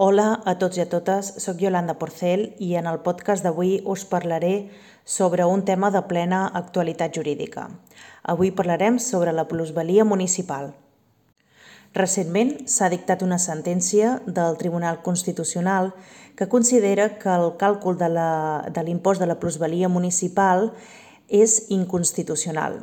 Hola a tots i a totes, soc Yolanda Porcel i en el podcast d'avui us parlaré sobre un tema de plena actualitat jurídica. Avui parlarem sobre la plusvalia municipal. Recentment s'ha dictat una sentència del Tribunal Constitucional que considera que el càlcul de l'impost de la plusvalia municipal és inconstitucional.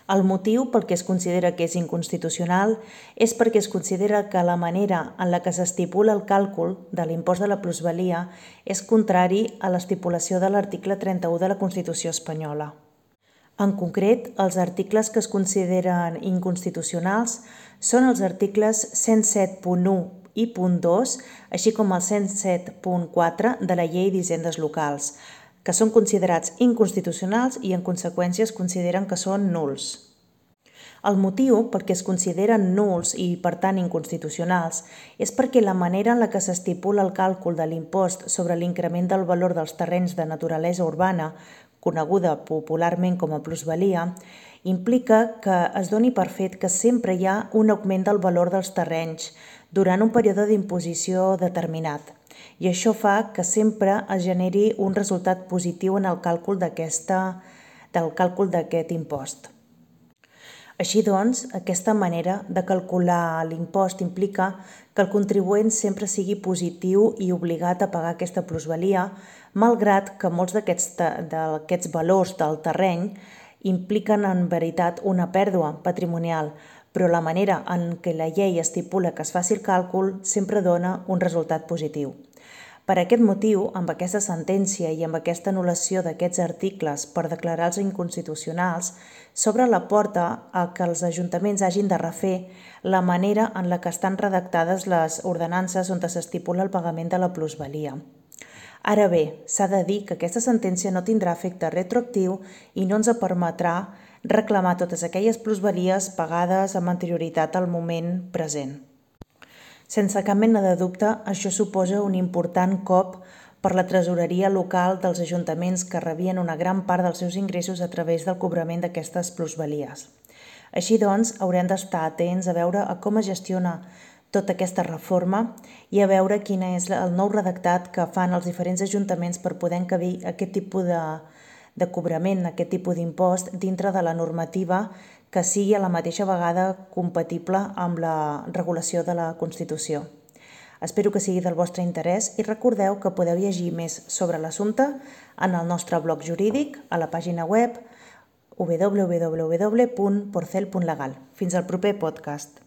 El motiu pel que es considera que és inconstitucional és perquè es considera que la manera en la que s'estipula el càlcul de l'impost de la plusvalia és contrari a l'estipulació de l'article 31 de la Constitució espanyola. En concret, els articles que es consideren inconstitucionals són els articles 107.1 i .2, així com el 107.4 de la Llei d'Hisendes Locals, que són considerats inconstitucionals i en conseqüència es consideren que són nuls. El motiu perquè es consideren nuls i per tant inconstitucionals és perquè la manera en la que s'estipula el càlcul de l'impost sobre l'increment del valor dels terrenys de naturalesa urbana, coneguda popularment com a plusvalia, implica que es doni per fet que sempre hi ha un augment del valor dels terrenys durant un període d'imposició determinat. I això fa que sempre es generi un resultat positiu en el càlcul d'aquest impost. Així doncs, aquesta manera de calcular l'impost implica que el contribuent sempre sigui positiu i obligat a pagar aquesta plusvalia, malgrat que molts d'aquests valors del terreny impliquen en veritat una pèrdua patrimonial, però la manera en què la llei estipula que es faci el càlcul sempre dona un resultat positiu. Per aquest motiu, amb aquesta sentència i amb aquesta anul·lació d'aquests articles per declarar-los inconstitucionals, s'obre la porta a que els ajuntaments hagin de refer la manera en la que estan redactades les ordenances on s'estipula el pagament de la plusvalia. Ara bé, s'ha de dir que aquesta sentència no tindrà efecte retroactiu i no ens permetrà reclamar totes aquelles plusvalies pagades amb anterioritat al moment present. Sense cap mena de dubte, això suposa un important cop per la tresoreria local dels ajuntaments que rebien una gran part dels seus ingressos a través del cobrament d'aquestes plusvalies. Així doncs, haurem d'estar atents a veure com es gestiona tota aquesta reforma i a veure quin és el nou redactat que fan els diferents ajuntaments per poder encabir aquest tipus de cobrament, aquest tipus d'impost dintre de la normativa que sigui a la mateixa vegada compatible amb la regulació de la Constitució. Espero que sigui del vostre interès i recordeu que podeu llegir més sobre l'assumpte en el nostre blog jurídic a la pàgina web www.porcel.legal. Fins al proper podcast.